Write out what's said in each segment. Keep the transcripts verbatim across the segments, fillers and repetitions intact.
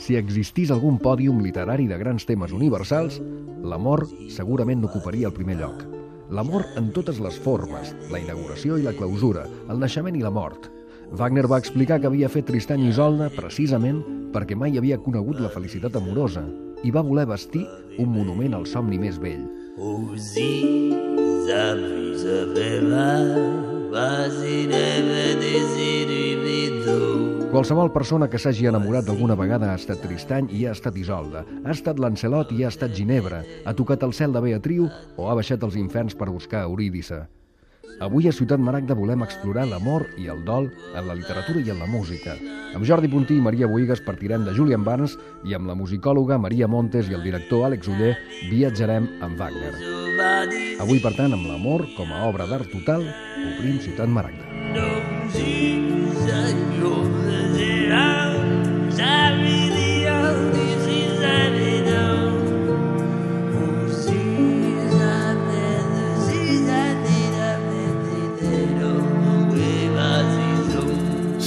Si existís algun pòdium literari de grans temes universals, l'amor segurament n'ocuparia el primer lloc. L'amor en totes les formes, la inauguració i la clausura, el naixement i la mort. Wagner va explicar que havia fet Tristany i Isolde precisament perquè mai havia conegut la felicitat amorosa i va voler vestir un monument al somni més vell. Qualsevol persona que s'hagi enamorat d'alguna vegada ha estat Tristany i ha estat Isolde, ha estat Lancelot i ha estat Ginebra, ha tocat el cel de Beatriu o ha baixat als inferns per buscar Eurídice. Avui a Ciutat Maragda volem explorar l'amor i el dol en la literatura i en la música. Amb Jordi Puntí i Maria Bohigas partirem de Julian Barnes i amb la musicòloga Maria Montes i el director Àlex Oller viatjarem amb Wagner. Avui, per tant, amb l'amor com a obra d'art total, obrim Ciutat Maragda.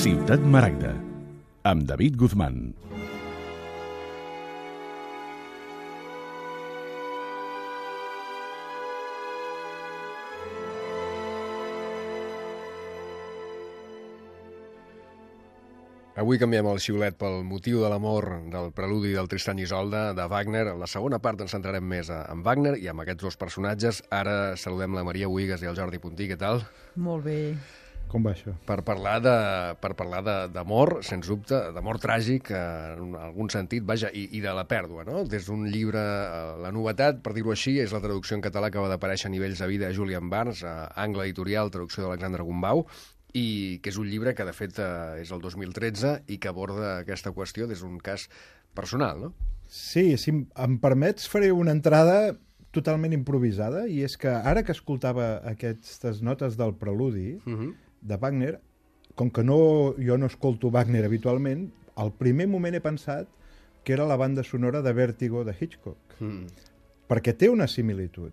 Ciutat Maragda, amb David Guzmán. Avui canviem el xiulet pel motiu de l'amor del preludi del Tristany i Isolde de Wagner. En la segona part ens centrarem més en Wagner i amb aquests dos personatges. Ara saludem la Maria Bohigas i el Jordi Puntí. Què tal? Molt bé. Com va això? Per parlar de, per parlar d'amor, sens dubte, d'amor tràgic, en algun sentit, vaja, i, i de la pèrdua, no? Des d'un llibre, la novetat, per dir-ho així, és la traducció en català que va d'aparèixer a Nivells de vida a Julian Barnes, a Angle Editorial, traducció d'Alexandre Gumbau, i que és un llibre que, de fet, és el dos mil tretze i que aborda aquesta qüestió des d'un cas personal, no? Sí, si em permets, faré una entrada totalment improvisada, i és que ara que escoltava aquestes notes del preludi, uh-huh. de Wagner, com que no, jo no escolto Wagner habitualment, al primer moment he pensat que era la banda sonora de Vértigo de Hitchcock, mm. perquè té una similitud.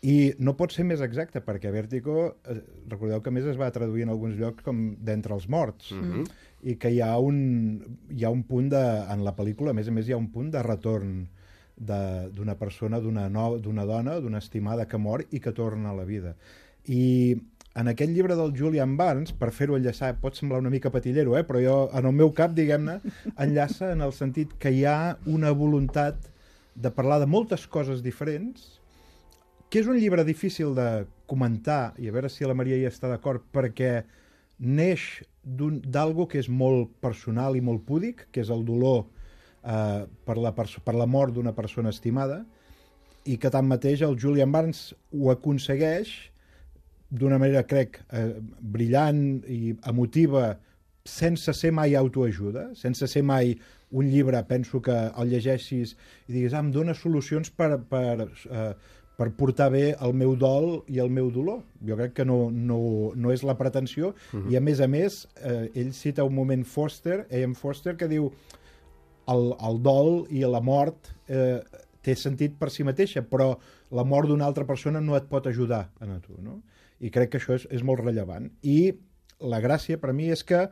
I no pot ser més exacte, perquè Vértigo, eh, recordeu que a més es va traduir en alguns llocs com d'Entre els morts, mm-hmm. i que hi ha un, hi ha un punt de, en la pel·lícula, a més a més hi ha un punt de retorn d'una persona, d'una no, d'una dona, d'una estimada que mor i que torna a la vida. I en aquest llibre del Julian Barnes, per fer-ho enllaçar, pot semblar una mica patillero, eh? Però jo, en el meu cap, diguem-ne, enllaça en el sentit que hi ha una voluntat de parlar de moltes coses diferents, que és un llibre difícil de comentar, i a veure si la Maria hi està d'acord, perquè neix d'algo que és molt personal i molt púdic, que és el dolor eh, per, la per la mort d'una persona estimada, i que tanmateix el Julian Barnes ho aconsegueix d'una manera, crec, eh, brillant i emotiva, sense ser mai autoajuda, sense ser mai un llibre, penso que el llegeixis i diguis, ah, em dona solucions per, per, eh, per portar bé el meu dol i el meu dolor. Jo crec que no, no, no és la pretensió, uh-huh. i a més a més, eh, ell cita un moment Foster, A M Foster, que diu el, el dol i la mort eh, té sentit per si mateixa, però la mort d'una altra persona no et pot ajudar a tu, no? I crec que això és, és molt rellevant. I la gràcia per mi és que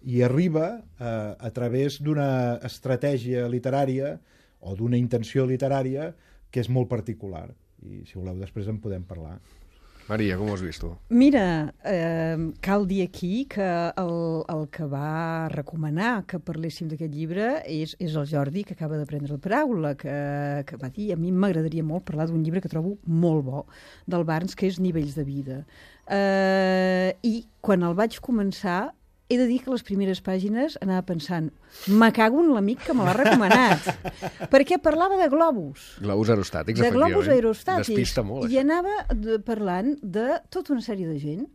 hi arriba eh, a través d'una estratègia literària o d'una intenció literària que és molt particular. I si voleu després en podem parlar. Maria, com ho has vist tu? Mira, eh, cal dir aquí que el, el que va recomanar que parléssim d'aquest llibre és, és el Jordi, que acaba de prendre la paraula, que, que va dir, a mi m'agradaria molt parlar d'un llibre que trobo molt bo, del Barnes, que és Nivells de vida. Eh, I quan el vaig començar, he de dir que les primeres pàgines anava pensant, me cago en l'amic que me l'ha recomanat, perquè parlava de globus. Globus aerostàtics, de efectivament. globus aerostàtics. Despista molt, I anava de, parlant de tota una sèrie de gent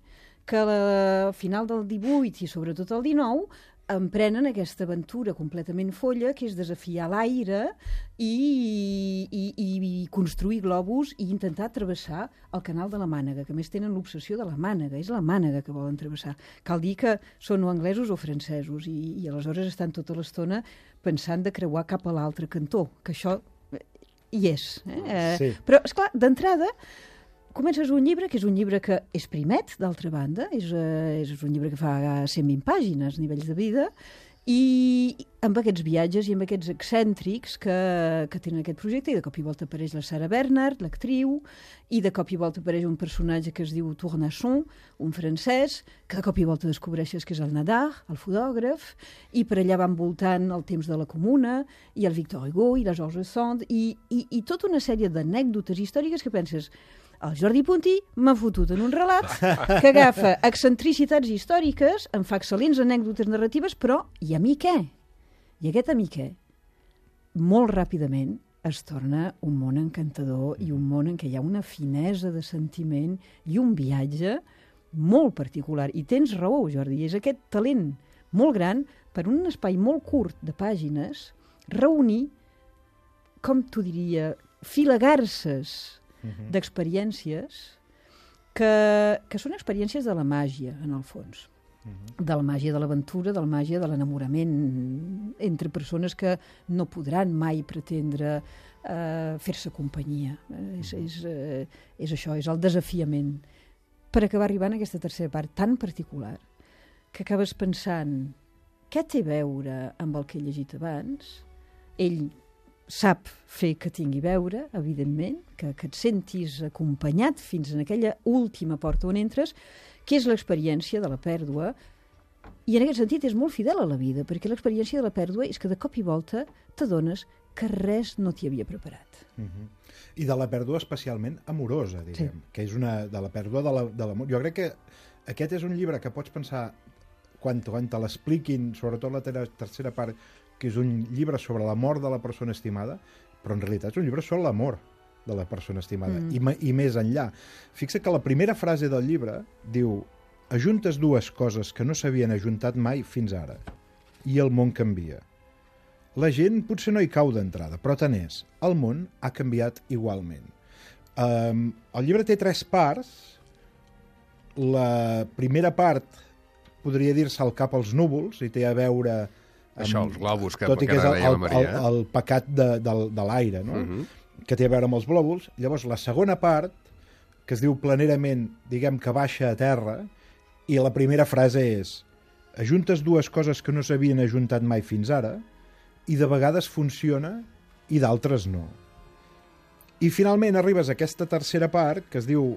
que a la final del divuit i sobretot el dinou emprenen aquesta aventura completament folla, que és desafiar l'aire i, i, i construir globus i intentar travessar el canal de la Mànega, que a més tenen l'obsessió de la Mànega, és la Mànega que volen travessar. Cal dir que són o anglesos o francesos i, i aleshores estan tota l'estona pensant de creuar cap a l'altre cantó, que això hi és. Eh? Sí. Però, esclar, d'entrada, comences un llibre, que és un llibre que és primet, d'altra banda, és, eh, és un llibre que fa cent vint pàgines, Nivells de vida, I amb aquests viatges i amb aquests excèntrics que, que tenen aquest projecte, i de cop i volta apareix la Sarah Bernhardt, l'actriu, i de cop i volta apareix un personatge que es diu Tournachon, un francès, que de cop i volta descobreixes que és el Nadar, el fotògraf, i per allà van voltant el temps de la Comuna, i el Victor Hugo, i la Georges Sand, i, i, i tota una sèrie d'anècdotes històriques que penses... El Jordi Puntí m'ha fotut en un relat que agafa excentricitats històriques, en fa excel·lents anècdotes narratives, però i a mi què? I aquest a mi què? Molt ràpidament es torna un món encantador i un món en què hi ha una finesa de sentiment i un viatge molt particular. I tens raó, Jordi, és aquest talent molt gran per un espai molt curt de pàgines reunir, com t'ho diria, filagarses Uh-huh. d'experiències que, que són experiències de la màgia, en el fons. Uh-huh. De la màgia de l'aventura, de la màgia de l'enamorament entre persones que no podran mai pretendre uh, fer-se companyia. Uh, és, és, uh, és això, és el desafiament. Per acabar arribant a aquesta tercera part tan particular que acabes pensant què té a veure amb el que he llegit abans? Ell sap fer que tingui veure, evidentment, que, que et sentis acompanyat fins en aquella última porta on entres, que és l'experiència de la pèrdua. I en aquest sentit és molt fidel a la vida, perquè l'experiència de la pèrdua és que de cop i volta t'adones que res no t'hi havia preparat. Uh-huh. I de la pèrdua especialment amorosa, diguem, sí. Que és una de la pèrdua de l'amor. Jo crec que aquest és un llibre que pots pensar, quan, quan te l'expliquin, sobretot la ter tercera part, que és un llibre sobre la mort de la persona estimada, però en realitat és un llibre sobre l'amor de la persona estimada, mm. I, i més enllà. Fixa que la primera frase del llibre diu: ajuntes dues coses que no s'havien ajuntat mai fins ara, i el món canvia. La gent potser no hi cau d'entrada, però tant és, el món ha canviat igualment. Um, el llibre té tres parts. La primera part podria dir-se al cap als núvols, i té a veure... Això, els globus, que, tot i que, que és el, deia la el, Maria. el, el pecat de, de, de l'aire, no? Uh-huh. Que té a veure amb els glòbuls. Llavors, la segona part, que es diu planerament, diguem que baixa a terra, i la primera frase és: ajuntes dues coses que no s'havien ajuntat mai fins ara, i de vegades funciona i d'altres no. I finalment arribes a aquesta tercera part, que es diu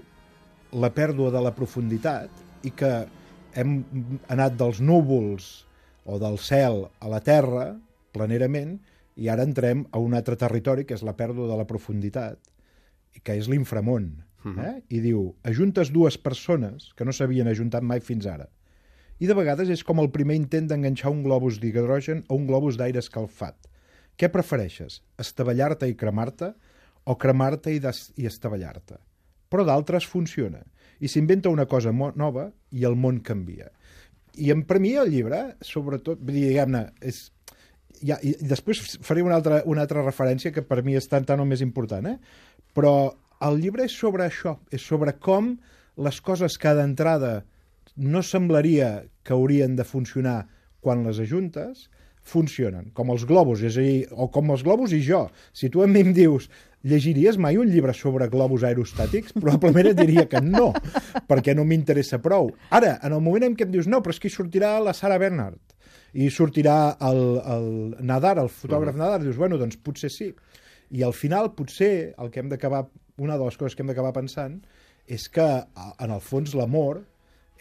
la pèrdua de la profunditat, i que hem anat dels núvols o del cel a la terra, planerament, i ara entrem a un altre territori, que és la pèrdua de la profunditat, i que és l'inframón. Eh? I diu: ajuntes dues persones que no s'havien ajuntat mai fins ara. I de vegades és com el primer intent d'enganxar un globus d'hidrogen o un globus d'aire escalfat. Què prefereixes? Estavellar-te i cremar-te, o cremar-te i, i estavellar-te? Però d'altres funciona. I s'inventa una cosa nova i el món canvia. I per mi el llibre, sobretot, diguem-ne, és... Ja, i després faré una altra, una altra referència que per mi és tan, tan o més important, eh? Però el llibre és sobre això, és sobre com les coses que d'entrada no semblaria que haurien de funcionar quan les ajuntes, funcionen, com els globus, és a dir, o com els globus i jo. Si tu a mi em dius: llegiries mai un llibre sobre globus aerostàtics? Probablement et diria que no, perquè no m'interessa prou. Ara, en el moment en què em dius: no, però és que hi sortirà la Sarah Bernhardt, i sortirà el, el Nadar, el fotògraf uh-huh. Nadar, dius, bueno, doncs potser sí. I al final, potser, el que hem d'acabar, una de les coses que hem d'acabar pensant és que, en el fons, l'amor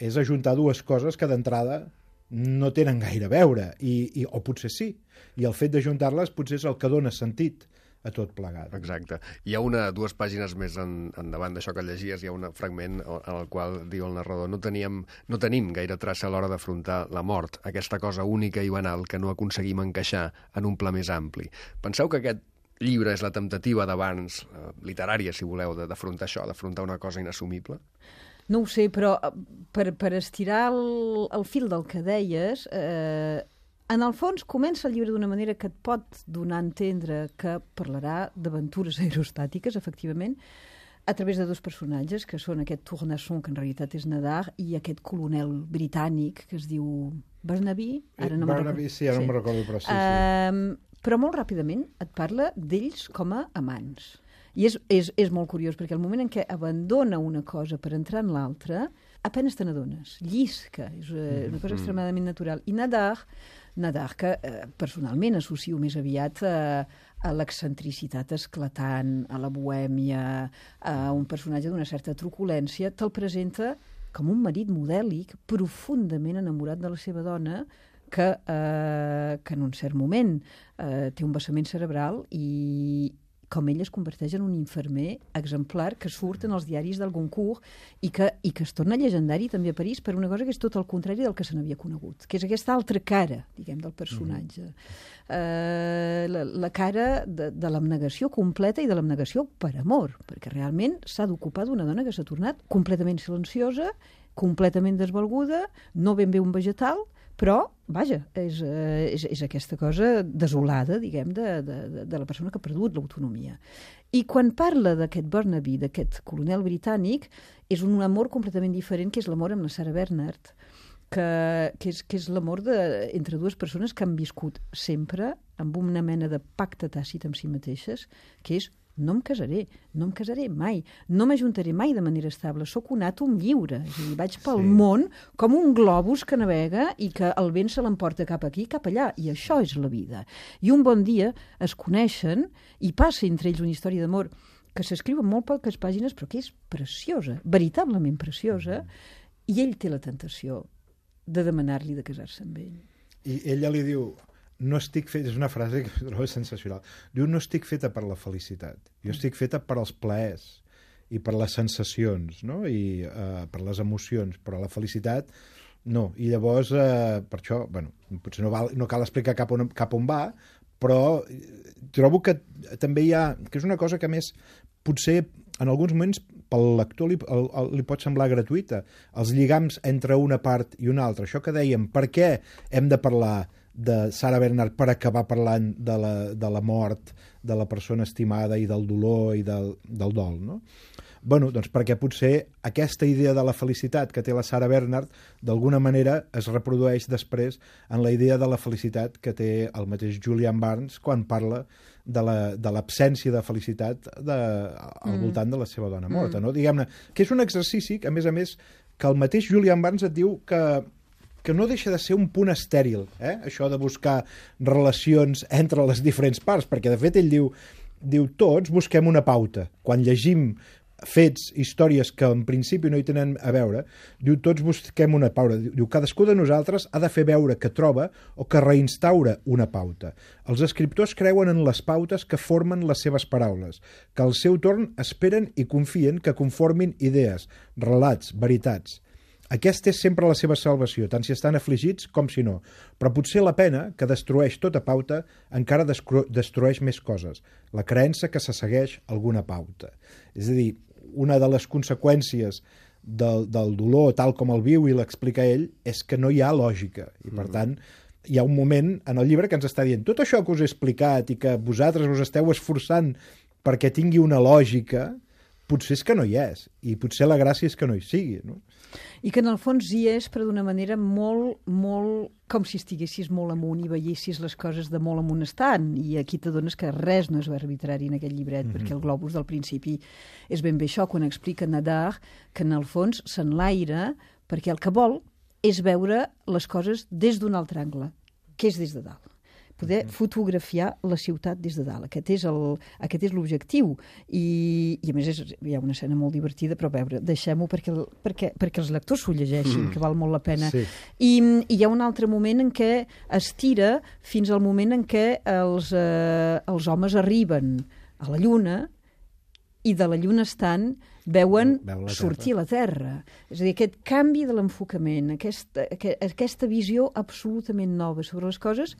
és ajuntar dues coses que d'entrada no tenen gaire a veure, i, i, o potser sí. I el fet d'ajuntar-les potser és el que dona sentit a tot plegat. Exacte. Hi ha una, dues pàgines més en, endavant d'això que llegies, hi ha un fragment en el qual diu el narrador: no, teníem, no tenim gaire traça a l'hora d'afrontar la mort, aquesta cosa única i banal que no aconseguim encaixar en un pla més ampli. Penseu que aquest llibre és la temptativa d'abans, eh, literària, si voleu, d'afrontar això, d'afrontar una cosa inassumible? No ho sé, però per, per estirar el, el fil del que deies, eh, en el fons comença el llibre d'una manera que et pot donar a entendre que parlarà d'aventures aerostàtiques, efectivament, a través de dos personatges, que són aquest Tournachon, que en realitat és Nadar, i aquest colonel britànic que es diu Barnaby. Ara no Barnaby, sí, ara sí. no me'n recordo, però sí. sí. Uh, però molt ràpidament et parla d'ells com a amants. I és, és, és molt curiós, perquè el moment en què abandona una cosa per entrar en l'altra, apenes te n'adones, llisca, és una cosa extremadament natural. I Nadar Nadar, que eh, personalment associo més aviat a, a l'excentricitat esclatant, a la bohèmia, a un personatge d'una certa truculència, te'l presenta com un marit modèlic, profundament enamorat de la seva dona, que, eh, que en un cert moment eh, té un vessament cerebral i com ell es converteix en un infermer exemplar que surt en els diaris del Goncourt i que, i que es torna llegendari també a París per una cosa que és tot el contrari del que se n'havia conegut, que és aquesta altra cara, diguem, del personatge. Mm-hmm. eh, la, la cara de, de l'abnegació completa i de l'abnegació per amor, perquè realment s'ha d'ocupar d'una dona que s'ha tornat completament silenciosa, completament desvalguda, no ben bé un vegetal, però, vaja, és, és, és aquesta cosa desolada, diguem, de, de, de la persona que ha perdut l'autonomia. I quan parla d'aquest Burnaby, d'aquest coronel britànic, és un amor completament diferent, que és l'amor amb la Sarah Bernhardt, que, que és, que és l'amor de, entre dues persones que han viscut sempre amb una mena de pacte tàcit amb si mateixes, que és no em casaré, no em casaré mai, no m'ajuntaré mai de manera estable, sóc un àtom lliure, és a dir, vaig pel sí. món com un globus que navega i que el vent se l'emporta cap aquí, cap allà, i això és la vida. I un bon dia es coneixen i passa entre ells una història d'amor que s'escriu en molt poques pàgines, però que és preciosa, veritablement preciosa, i ell té la tentació de demanar-li de casar-se amb ell. I ella li diu... No estic feta, és una frase que trobo sensacional. Diu, no estic feta per la felicitat. Jo estic feta per als plaers i per les sensacions, no? I uh, per les emocions, però la felicitat no. I llavors, uh, per això, bueno, potser no, val, no cal explicar cap on, cap on va, però trobo que també hi ha... que és una cosa que, a més, potser en alguns moments pel lector li, el, el, li pot semblar gratuïta. Els lligams entre una part i una altra. Això que dèiem, per què hem de parlar de Sarah Bernhardt per acabar parlant de la, de la mort de la persona estimada i del dolor i del, del dol, no? Bueno, doncs perquè potser aquesta idea de la felicitat que té la Sarah Bernhardt d'alguna manera es reprodueix després en la idea de la felicitat que té el mateix Julian Barnes quan parla de l'absència de felicitat de, al mm. voltant de la seva dona morta, mm. no? Diguem-ne, que és un exercici que, a més a més, que el mateix Julian Barnes et diu que que no deixa de ser un punt estèril, eh? Això de buscar relacions entre les diferents parts, perquè de fet ell diu, diu tots busquem una pauta. Quan llegim fets, històries que en principi no hi tenen a veure, diu tots busquem una pauta. Diu cadascú de nosaltres ha de fer veure que troba o que reinstaura una pauta. Els escriptors creuen en les pautes que formen les seves paraules, que al seu torn esperen i confien que conformin idees, relats, veritats. Aquesta és sempre la seva salvació, tant si estan afligits com si no. Però potser la pena, que destrueix tota pauta, encara destrueix més coses. La creença que se segueix alguna pauta. És a dir, una de les conseqüències del, del dolor, tal com el viu i l'explica ell, és que no hi ha lògica. I, per tant, hi ha un moment en el llibre que ens està dient tot això que us he explicat i que vosaltres us esteu esforçant perquè tingui una lògica, potser és que no hi és. I potser la gràcia és que no hi sigui, no? I que en el fons hi és, però d'una manera molt, molt... com si estiguessis molt amunt i veiessis les coses de molt amunt estant. I aquí t'adones que res no és arbitrari en aquest llibret, mm-hmm. perquè el globus del principi és ben bé això, quan explica Nadar que en el fons s'enlaira perquè el que vol és veure les coses des d'un altre angle, que és des de dalt. Poder fotografiar la ciutat des de dalt. Aquest és el, aquest és l'objectiu. I, I a més és, hi ha una escena molt divertida, però a veure, deixem-ho perquè, perquè, perquè els lectors s'ho llegeixin, mm. que val molt la pena. Sí. I, I hi ha un altre moment en què es tira fins al moment en què els, eh, els homes arriben a la Lluna i de la Lluna estant veuen la sortir la Terra. És a dir, aquest canvi de l'enfocament, aquesta, aquesta visió absolutament nova sobre les coses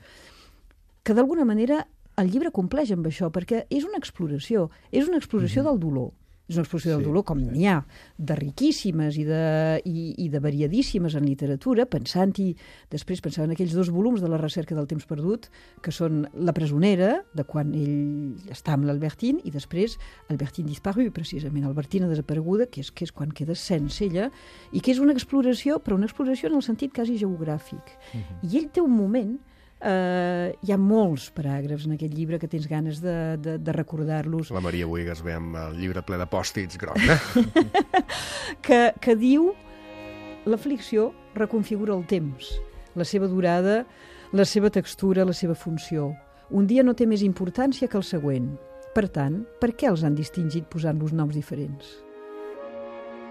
que d'alguna manera el llibre compleix amb això, perquè és una exploració, és una exploració mm-hmm. del dolor. És una exploració sí, del dolor com sí. n'hi ha, de riquíssimes i de, i, i de variadíssimes en literatura, pensant-hi, després pensava en aquells dos volums de La recerca del temps perdut, que són La presonera, de quan ell està amb l'Albertine, i després Albertine disparu, precisament, Albertina desapareguda, que és, que és quan queda sense ella, i que és una exploració, però una exploració en el sentit quasi geogràfic. Mm-hmm. I ell té un moment... Uh, hi ha molts paràgrafs en aquest llibre que tens ganes de, de, de recordar-los. La Maria Bohigas ve amb el llibre ple de pòstits groc, eh? que, que diu l'aflicció reconfigura el temps, la seva durada, la seva textura, la seva funció. Un dia no té més importància que el següent. Per tant, per què els han distingit posant-los noms diferents?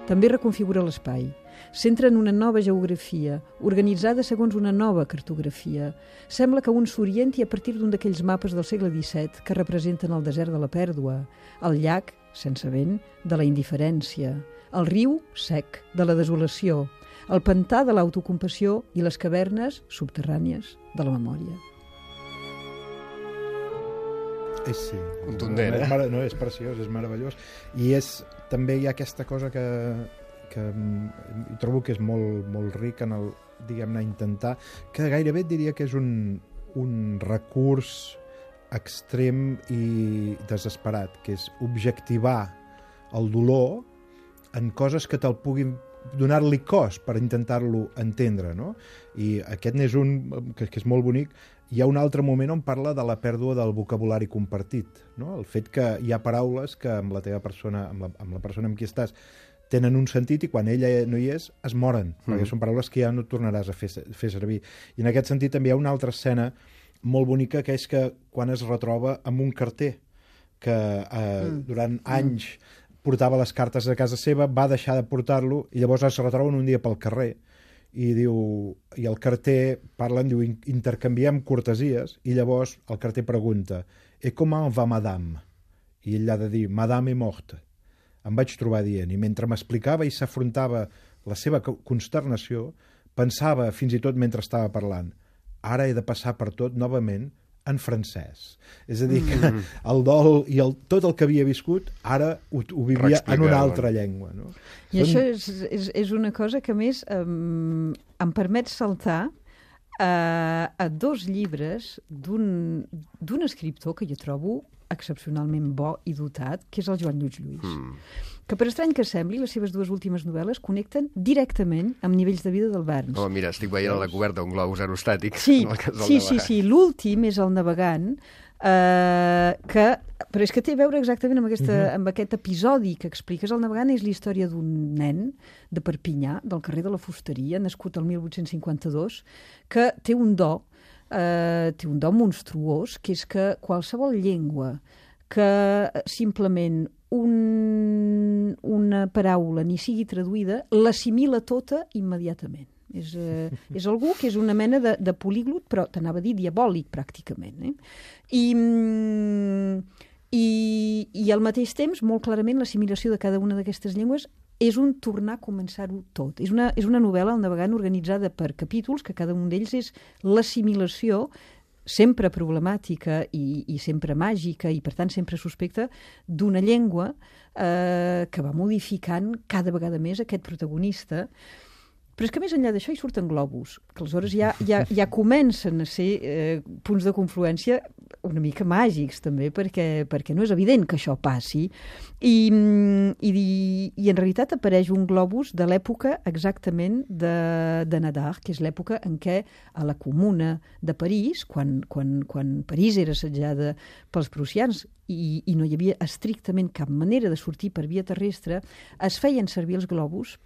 També reconfigura l'espai. S'entra en una nova geografia, organitzada segons una nova cartografia. Sembla que un s'orienti a partir d'un d'aquells mapes del segle disset que representen el desert de la pèrdua, el llac, sense vent, de la indiferència, el riu, sec, de la desolació, el pantà de l'autocompassió i les cavernes subterrànies de la memòria. És, sí. Contundent, no, eh? és, mar... no, és preciós, és meravellós. I és, també hi ha aquesta cosa que, que mm, trobo que és molt, molt ric en el, diguem-ne, intentar, que gairebé et diria que és un, un recurs extrem i desesperat, que és objectivar el dolor en coses que te'l puguin donar-li cos per intentar-lo entendre, no? I aquest n'és un que, que és molt bonic. Hi ha un altre moment on parla de la pèrdua del vocabulari compartit, no? El fet que hi ha paraules que amb la teva persona, amb la, amb la persona amb qui estàs, tenen un sentit i quan ella no hi és, es moren, mm. perquè són paraules que ja no tornaràs a fer, fer servir. I en aquest sentit també hi ha una altra escena molt bonica, que és que quan es retroba amb un carter que eh, mm. durant anys portava les cartes a casa seva, va deixar de portar-lo i llavors es retroben un dia pel carrer i diu, i el carter parlen, diu, intercanviem cortesies, i llavors el carter pregunta, et comment va madame? I ell ha de dir, madame est morte. Em vaig trobar dient, i mentre m'explicava i s'afrontava la seva consternació, pensava fins i tot mentre estava parlant, ara he de passar per tot novament en francès. És a dir, que mm. el dol i el, tot el que havia viscut, ara ho, ho vivia en una altra llengua. No? I Són... això és, és, és una cosa que, a més, um, em permet saltar a, a dos llibres d'un escriptor que jo trobo excepcionalment bo i dotat, que és el Joan Lluís Lluís. Mm. Que, per estrany que sembli, les seves dues últimes novel·les connecten directament amb nivells de vida del Barnes. Oh, mira, estic veient a la coberta un globus aerostàtic. Sí, sí, sí, sí. L'últim és El navegant, eh, que, però és que té a veure exactament amb, aquesta, uh-huh. amb aquest episodi que expliques. El navegant és la història d'un nen de Perpinyà, del carrer de la Fusteria, nascut el mil vuit-cents cinquanta-dos, que té un do, eh, té un do monstruós, que és que qualsevol llengua que simplement un, una paraula ni sigui traduïda, l'assimila tota immediatament. És, eh, és algú que és una mena de, de políglot, però t'anava a dir diabòlic, pràcticament. Eh? I, i, I al mateix temps, molt clarament, l'assimilació de cada una d'aquestes llengües és un tornar a començar-ho tot. És una, és una novel·la, El navegant, organitzada per capítols, que cada un d'ells és l'assimilació sempre problemàtica i, i sempre màgica i, per tant, sempre suspecta d'una llengua eh, que va modificant cada vegada més aquest protagonista. Però és que més enllà d'això hi surten globus, que aleshores ja, ja, ja comencen a ser eh, punts de confluència una mica màgics, també, perquè, perquè no és evident que això passi. I, i, i en realitat apareix un globus de l'època exactament de, de Nadar, que és l'època en què a la Comuna de París, quan, quan, quan París era assetjada pels prussians i, i no hi havia estrictament cap manera de sortir per via terrestre, es feien servir els globus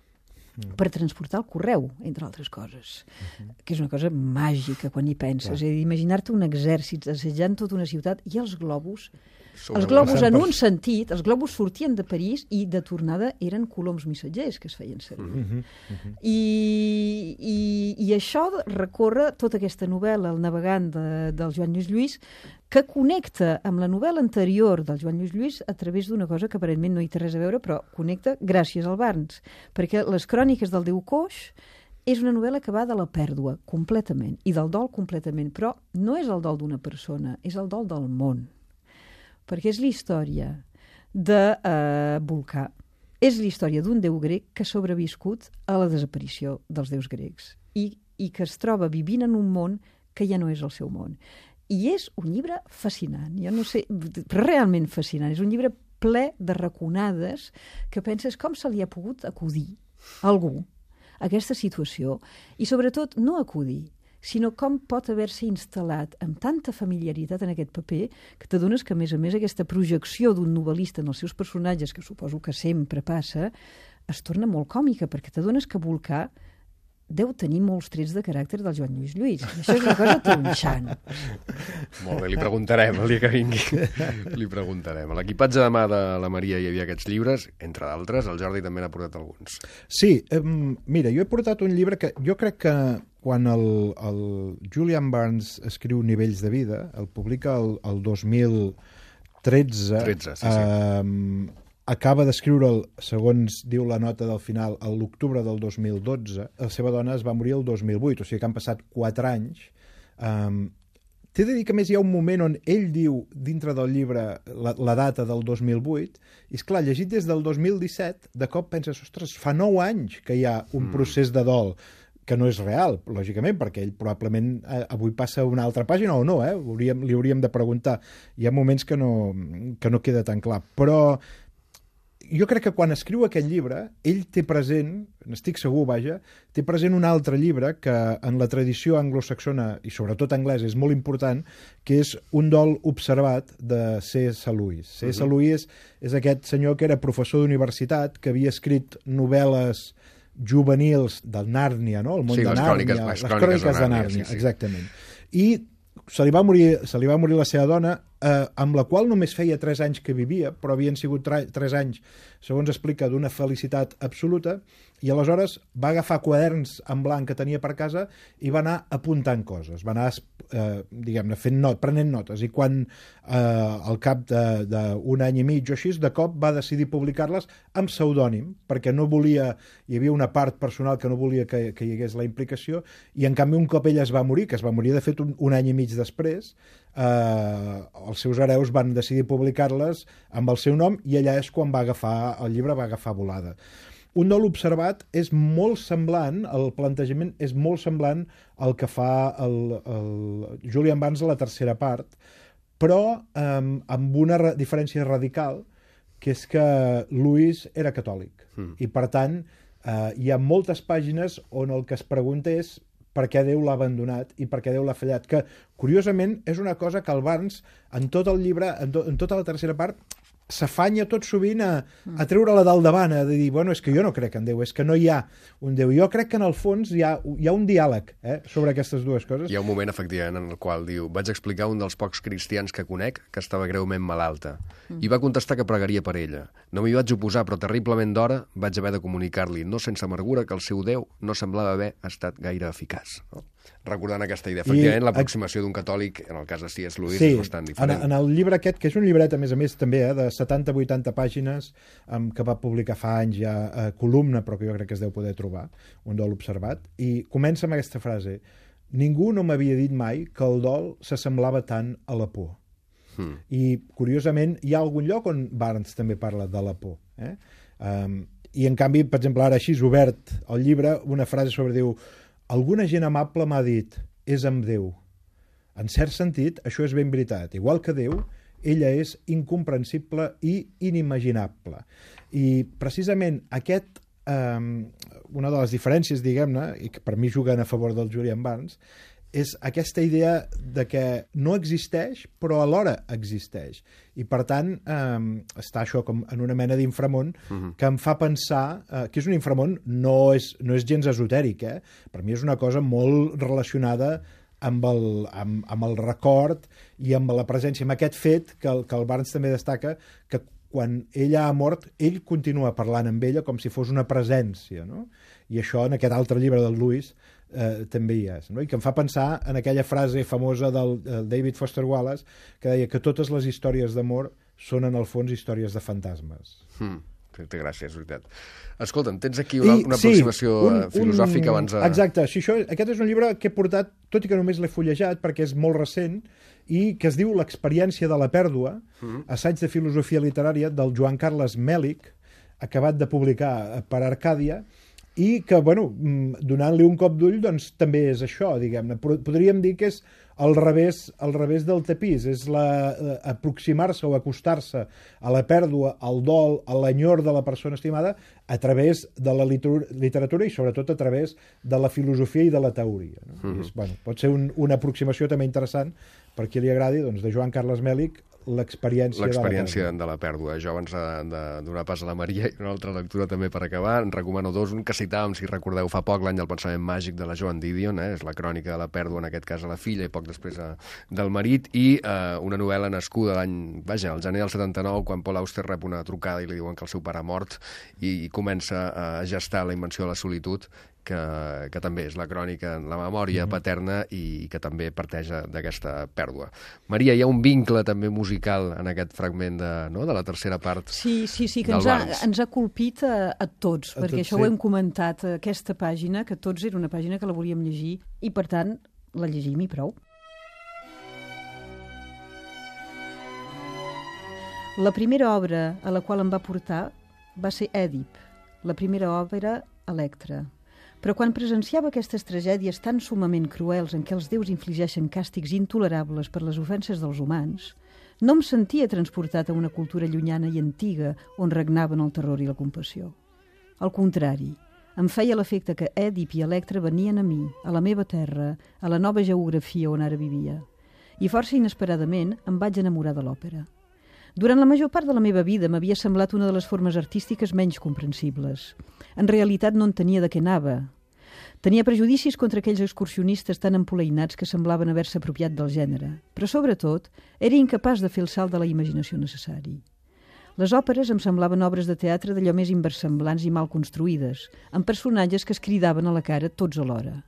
per transportar el correu, entre altres coses, uh-huh. que és una cosa màgica quan hi penses. Clar. És a dir, imaginar-te un exèrcit assetjant tota una ciutat i els globus, Sobre els globus en un sentit, els globus sortien de París i de tornada eren coloms missatgers que es feien servir. Uh-huh. Uh-huh. I, i, I això recorre tota aquesta novel·la, El navegant, de, del Joan Lluís Lluís, que connecta amb la novel·la anterior del Joan Lluís Lluís a través d'una cosa que aparentment no hi té res a veure, però connecta gràcies al Barnes, perquè Les cròniques del Déu Coix és una novel·la que va de la pèrdua completament i del dol completament, però no és el dol d'una persona, és el dol del món, perquè és la història de eh, Vulcà, és la història d'un déu grec que ha sobreviscut a la desaparició dels déus grecs i, i que es troba vivint en un món que ja no és el seu món. I és un llibre fascinant, jo no sé, realment fascinant. És un llibre ple de raconades que penses com se li ha pogut acudir a algú a aquesta situació i, sobretot, no acudir, sinó com pot haver-se instal·lat amb tanta familiaritat en aquest paper que t'adones que, a més a més, aquesta projecció d'un novel·lista en els seus personatges, que suposo que sempre passa, es torna molt còmica, perquè t'adones que Vulcà deu tenir molts trets de caràcter del Joan Lluís Lluís. Això és una cosa tronxant. Molt bé, li preguntarem el dia que vingui. Li preguntarem. A l'equipatge de mà de la Maria hi havia aquests llibres, entre d'altres, el Jordi també n'ha portat alguns. Sí, eh, mira, jo he portat un llibre que jo crec que quan el, el Julian Barnes escriu Nivells de vida, el publica el, el dos mil tretze, tretze, sí, sí. Eh, acaba d'escriure'l, segons diu la nota del final, a l'octubre del dos mil dotze. La seva dona es va morir el dos mil vuit, o sigui que han passat quatre anys. Um, T'he de dir que més hi ha un moment on ell diu, dintre del llibre, la, la data del dos mil vuit, i és clar, llegit des del dos mil disset, de cop penses, ostres, fa nou anys que hi ha un mm. procés de dol, que no és real, lògicament, perquè ell probablement eh, avui passa a una altra pàgina o no, eh? Hauríem, li hauríem de preguntar. Hi ha moments que no, que no queda tan clar, però jo crec que quan escriu aquest llibre, ell té present, n'estic segur, vaja, té present un altre llibre que en la tradició anglosaxona, i sobretot anglès, és molt important, que és Un dol observat, de C S Lewis. C S Uh-huh. Lewis és aquest senyor que era professor d'universitat, que havia escrit novel·les juvenils del Nàrnia, no? El món sí, de les Nàrnia. Cròniques, les, les cròniques, cròniques de Nàrnia, sí, sí. exactament. I se li va morir, se li va morir la seva dona, eh, amb la qual només feia tres anys que vivia, però havien sigut tres anys, segons explica, d'una felicitat absoluta, i aleshores va agafar quaderns en blanc que tenia per casa i va anar apuntant coses, va anar, eh, diguem-ne, fent not, prenent notes, i quan eh, al cap d'un any i mig o així, de cop va decidir publicar-les amb pseudònim, perquè no volia, hi havia una part personal que no volia que, que hi hagués la implicació, i en canvi un cop ella es va morir, que es va morir de fet un, un any i mig després, eh, els seus hereus van decidir publicar-les amb el seu nom, i allà és quan va agafar, el llibre va agafar volada. Un dol observat és molt semblant, el plantejament és molt semblant al que fa el, el Julian Barnes a la tercera part, però eh, amb una ra- diferència radical, que és que Lewis era catòlic. Mm. I, per tant, eh, hi ha moltes pàgines on el que es pregunta és per què Déu l'ha abandonat i per què Déu l'ha fallat, que, curiosament, és una cosa que el Barnes, en tot el llibre, en, to, en tota la tercera part, s'afanya tot sovint a, a treure-la dalt davant, a dir, bueno, és que jo no crec en Déu, és que no hi ha un Déu. Jo crec que en el fons hi ha, hi ha un diàleg eh, sobre aquestes dues coses. Hi ha un moment, efectivament, en el qual diu vaig explicar a un dels pocs cristians que conec que estava greument malalta mm. i va contestar que pregaria per ella. No m'hi vaig oposar, però terriblement d'hora vaig haver de comunicar-li, no sense amargura, que el seu Déu no semblava haver estat gaire eficaç. No? Recordant aquesta idea. Efectivament, l'aproximació d'un catòlic, en el cas de C S Lewis, sí, és bastant diferent. En, en el llibre aquest, que és un llibret, a més a més, també, eh, de setanta a vuitanta pàgines, um, que va publicar fa anys ja a Columna, però que jo crec que es deu poder trobar, Un dol observat, i comença amb aquesta frase: ningú no m'havia dit mai que el dol s'assemblava tant a la por. Hmm. I, curiosament, hi ha algun lloc on Barnes també parla de la por. Eh? Um, I, en canvi, per exemple, ara així, obert el llibre, una frase sobre diu: alguna gent amable m'ha dit, és amb Déu. En cert sentit, això és ben veritat. Igual que Déu, ella és incomprensible i inimaginable. I precisament aquest, eh, una de les diferències, diguem-ne, i que per mi juguen a favor del Julian Barnes, és aquesta idea de que no existeix, però alhora existeix. I, per tant, eh, està això com en una mena d'inframón uh-huh. que em fa pensar eh, que és un inframón, no és, no és gens esotèric, eh? Per mi és una cosa molt relacionada amb el, amb, amb el record i amb la presència, amb aquest fet que el, que el Barnes també destaca, que quan ella ha mort, ell continua parlant amb ella com si fos una presència, no? I això en aquest altre llibre del Lewis eh, també hi és, no? I que em fa pensar en aquella frase famosa del, del David Foster Wallace, que deia que totes les històries d'amor són en el fons històries de fantasmes. Hmm. Té gràcia, és veritat. Escolta'm, tens aquí una, una sí, aproximació un, filosòfica un, abans de... Exacte, sí, això, aquest és un llibre que he portat, tot i que només l'he fullejat, perquè és molt recent, i que es diu L'experiència de la pèrdua, mm-hmm. assaig de filosofia literària del Joan Carles Mèlich, acabat de publicar per Arcàdia, i que, bueno, donant-li un cop d'ull, doncs també és això, diguem-ne. Podríem dir que és al revés, al revés del tapís, és la, aproximar-se o acostar-se a la pèrdua, al dol, a l'enyor de la persona estimada a través de la literatura i sobretot a través de la filosofia i de la teoria. No? Mm-hmm. I és, bueno, pot ser un, una aproximació també interessant per qui li agradi, doncs, de Joan Carles Mèlich, l'experiència l'experiència de la pèrdua. Jo abans de, de donar pas a la Maria i una altra lectura també per acabar, en recomano dos, un que citàvem, si recordeu, fa poc, l'any del pensament màgic de la Joan Didion, eh? És la crònica de la pèrdua, en aquest cas a la filla i poc després a, del marit, i eh, una novel·la nascuda l'any, vaja, al gener del setanta-nou, quan Paul Auster rep una trucada i li diuen que el seu pare ha mort i, i comença a gestar la invenció de la solitud, que, que també és la crònica, la memòria mm-hmm. paterna i que també parteix d'aquesta pèrdua. Maria, hi ha un vincle també musical en aquest fragment de, no, de la tercera part. Sí, sí, sí, que ens ha, ens ha colpit a, a tots, a perquè tots, això sí. Ho hem comentat, aquesta pàgina, que tots era una pàgina que la volíem llegir i, per tant, la llegim i prou. La primera obra a la qual em va portar va ser Èdip, la primera òpera Electra. Però quan presenciava aquestes tragèdies tan sumament cruels en què els déus infligeixen càstigs intolerables per les ofenses dels humans, no em sentia transportat a una cultura llunyana i antiga on regnaven el terror i la compassió. Al contrari, em feia l'efecte que Èdip i Electra venien a mi, a la meva terra, a la nova geografia on ara vivia. I força inesperadament em vaig enamorar de l'òpera. Durant la major part de la meva vida m'havia semblat una de les formes artístiques menys comprensibles. En realitat no entenia de què anava. Tenia prejudicis contra aquells excursionistes tan empoleinats que semblaven haver-se apropiat del gènere, però sobretot era incapaç de fer el salt de la imaginació necessari. Les òperes em semblaven obres de teatre d'allò més inversemblants i mal construïdes, amb personatges que es cridaven a la cara tots alhora.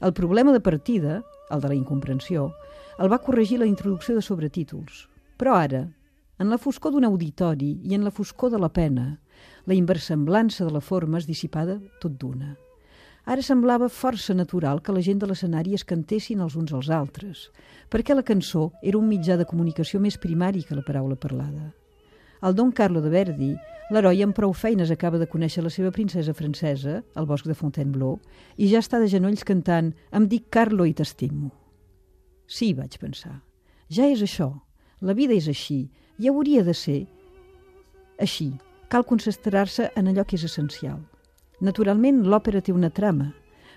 El problema de partida, el de la incomprensió, el va corregir la introducció de sobretítols. Però ara, en la foscor d'un auditori i en la foscor de la pena, la inversemblança de la forma es dissipada tot d'una. Ara semblava força natural que la gent de l'escenari es cantessin els uns als altres, perquè la cançó era un mitjà de comunicació més primari que la paraula parlada. Al Don Carlo de Verdi, l'heroi amb prou feines acaba de conèixer la seva princesa francesa, al bosc de Fontainebleau, i ja està de genolls cantant «Em dic Carlo i t'estimo». Sí, vaig pensar, ja és això, la vida és així, i hauria de ser així. Cal concentrar-se en allò que és essencial. Naturalment, l'òpera té una trama,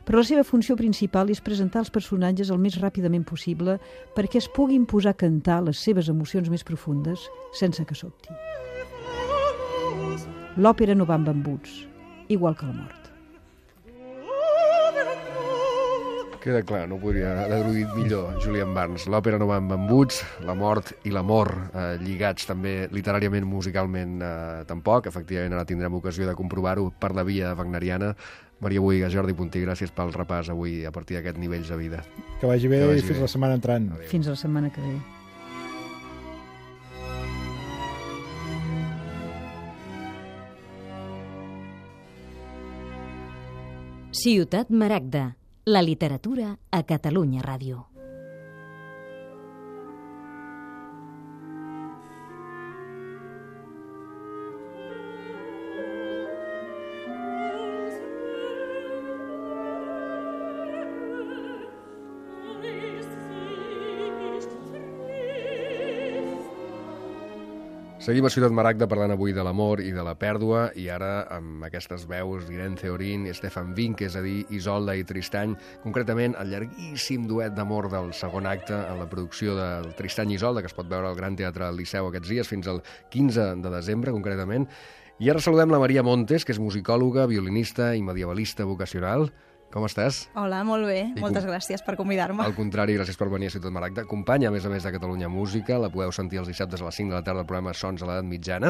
però la seva funció principal és presentar els personatges el més ràpidament possible perquè es puguin posar a cantar les seves emocions més profundes sense que sobti. L'òpera no va amb embuts, igual que la mort. Queda clar, no podria haver dit millor Julian Barnes. L'òpera no va amb embuts, la mort i l'amor eh, lligats també literàriament, musicalment eh, tampoc. Efectivament, ara tindrem ocasió de comprovar-ho per la via wagneriana. Maria Bohigas, Jordi Puntí, gràcies pel repàs avui a partir d'aquests nivells de vida. Que vagi bé i fins la setmana entrant. Adéu. Fins la setmana que ve. Ciutat Maragda. La literatura a Catalunya Ràdio. Seguim a Ciutat Maragda parlant avui de l'amor i de la pèrdua, i ara amb aquestes veus d'Irene Theorin i Stefan Wink, és a dir, Isolda i Tristany, concretament el llarguíssim duet d'amor del segon acte en la producció del Tristany i Isolda, que es pot veure al Gran Teatre del Liceu aquests dies, fins al quinze de desembre, concretament. I ara saludem la Maria Montes, que és musicòloga, violinista i medievalista vocacional. Com estàs? Hola, molt bé. I Moltes com... gràcies per convidar-me. Al contrari, gràcies per venir a Ciutat Maragda. Companya, a més a més, de Catalunya Música. La podeu sentir els dissabtes a les cinc de la tarda al programa Sons a l'edat mitjana.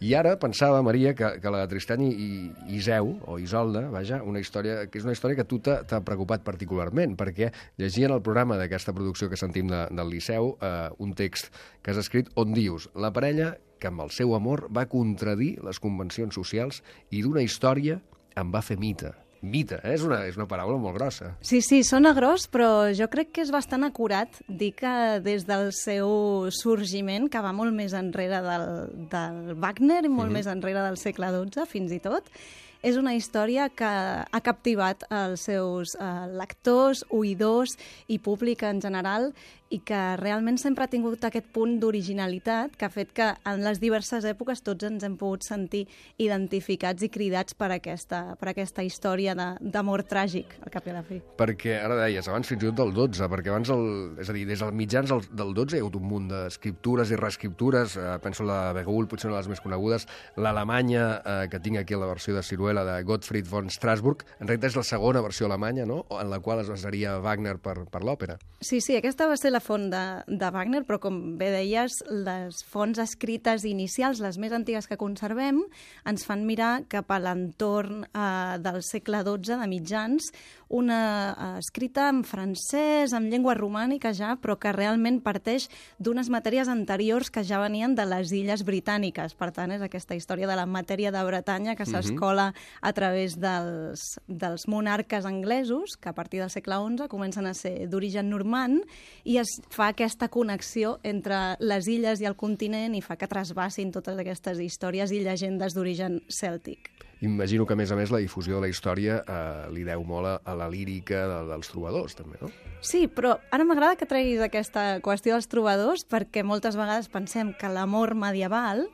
I ara pensava, Maria, que, que la de Tristany i, i Iseu, o Isolda, vaja, una història que és una història que a tu t'ha preocupat particularment, perquè llegia en el programa d'aquesta producció que sentim de, del Liceu eh, un text que has escrit on dius la parella que amb el seu amor va contradir les convencions socials i d'una història en va fer mite. Mite, eh? és, una, és una paraula molt grossa. Sí, sí, sona gros, però jo crec que és bastant acurat dir que des del seu sorgiment, que va molt més enrere del, del Wagner i molt mm-hmm. més enrere del segle dotze, fins i tot, és una història que ha captivat els seus eh, lectors, oïdors i públic en general, i que realment sempre ha tingut aquest punt d'originalitat que ha fet que en les diverses èpoques tots ens hem pogut sentir identificats i cridats per aquesta, per aquesta història d'amor tràgic, al cap i a la fi. Perquè, ara deies, abans fins i tot del dotze, perquè abans, el, és a dir, des dels mitjans del, del dotze hi ha hagut un munt d'escriptures i reescriptures, eh, penso la Begull, potser una de les més conegudes, l'Alemanya, eh, que tinc aquí la versió de Ciruela, de Gottfried von Strassburg, en realitat és la segona versió alemanya, no?, en la qual es basaria Wagner per, per l'òpera. Sí, sí, aquesta va ser la font de, de Wagner, però com bé deies, les fonts escrites inicials, les més antigues que conservem, ens fan mirar cap a l'entorn eh, del segle dotze, de mitjans, una eh, escrita en francès, en llengua romànica ja, però que realment parteix d'unes matèries anteriors que ja venien de les illes britàniques. Per tant, és aquesta història de la matèria de Bretanya que s'escola a través dels, dels monarques anglesos, que a partir del segle onze comencen a ser d'origen normand, i es fa aquesta connexió entre les illes i el continent i fa que trasbassin totes aquestes històries i llegendes d'origen cèltic. Imagino que, a més a més, la difusió de la història eh, li deu molt a, a la lírica de, dels trobadors, també, no? Sí, però ara m'agrada que treguis aquesta qüestió dels trobadors, perquè moltes vegades pensem que l'amor medieval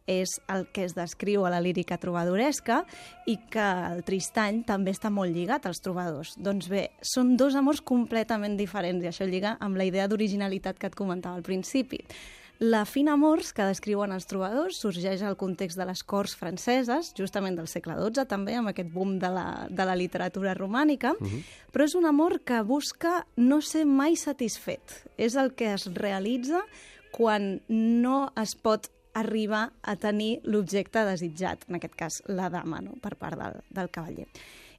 és el que es descriu a la lírica trobadoresca i que el Tristany també està molt lligat als trobadors. Doncs bé, són dos amors completament diferents i això lliga amb la idea d'originalitat que et comentava al principi. La fina amors que descriuen els trobadors sorgeix al context de les corts franceses, justament del segle dotze, també amb aquest boom de la, de la literatura romànica, uh-huh. però és un amor que busca no ser mai satisfet. És el que es realitza quan no es pot arribar a tenir l'objecte desitjat, en aquest cas la dama, no?, per part del, del cavaller.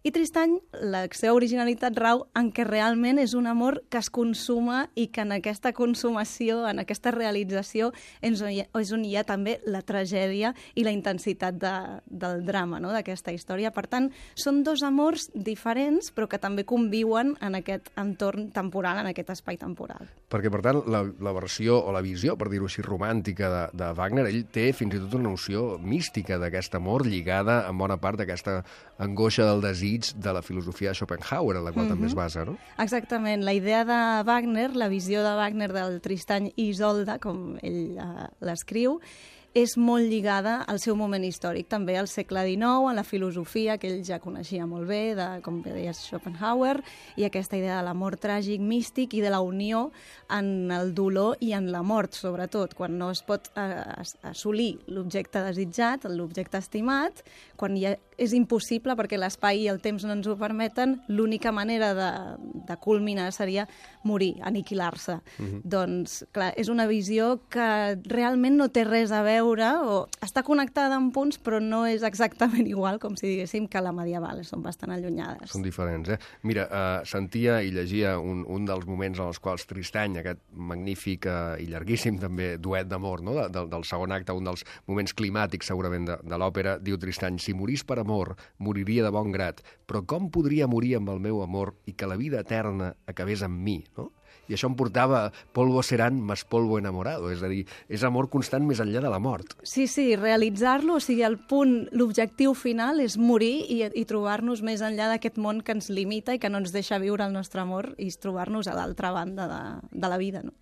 I Tristany, la seva originalitat rau en què realment és un amor que es consuma i que en aquesta consumació, en aquesta realització, és on hi ha, és on hi ha també la tragèdia i la intensitat de, del drama, no?, d'aquesta història. Per tant, són dos amors diferents, però que també conviuen en aquest entorn temporal, en aquest espai temporal. Perquè, per tant, la, la versió o la visió, per dir-ho així, romàntica de, de Wagner, ell té fins i tot una noció mística d'aquest amor lligada en bona part d'aquesta angoixa del desig de la filosofia de Schopenhauer, en la qual mm-hmm. també es basa, no? Exactament. La idea de Wagner, la visió de Wagner del Tristany i Isolda, com ell uh, l'escriu, és molt lligada al seu moment històric, també al segle dinou, a la filosofia que ell ja coneixia molt bé, de, com bé deies, Schopenhauer, i aquesta idea de l'amor tràgic, místic, i de la unió en el dolor i en la mort, sobretot, quan no es pot eh, assolir l'objecte desitjat, l'objecte estimat, quan ja és impossible perquè l'espai i el temps no ens ho permeten, l'única manera de, de culminar seria morir, aniquilar-se. Uh-huh. Doncs, clar, és una visió que realment no té res a veure o està connectada en punts, però no és exactament igual, com si diguéssim, que la medieval. Són bastant allunyades. Són diferents, eh? Mira, uh, sentia i llegia un, un dels moments en els quals Tristany, aquest magnífic uh, i llarguíssim també duet d'amor, no?, de, de, del segon acte, un dels moments climàtics segurament de, de l'òpera, diu Tristany: si morís per amor, moriria de bon grat, però com podria morir amb el meu amor i que la vida eterna acabés amb mi, no? I això em portava polvo serán más polvo enamorado, és a dir, és amor constant més enllà de la mort. Sí, sí, realitzar-lo, o sigui, el punt, l'objectiu final és morir i, i trobar-nos més enllà d'aquest món que ens limita i que no ens deixa viure el nostre amor i trobar-nos a l'altra banda de, de la vida, no?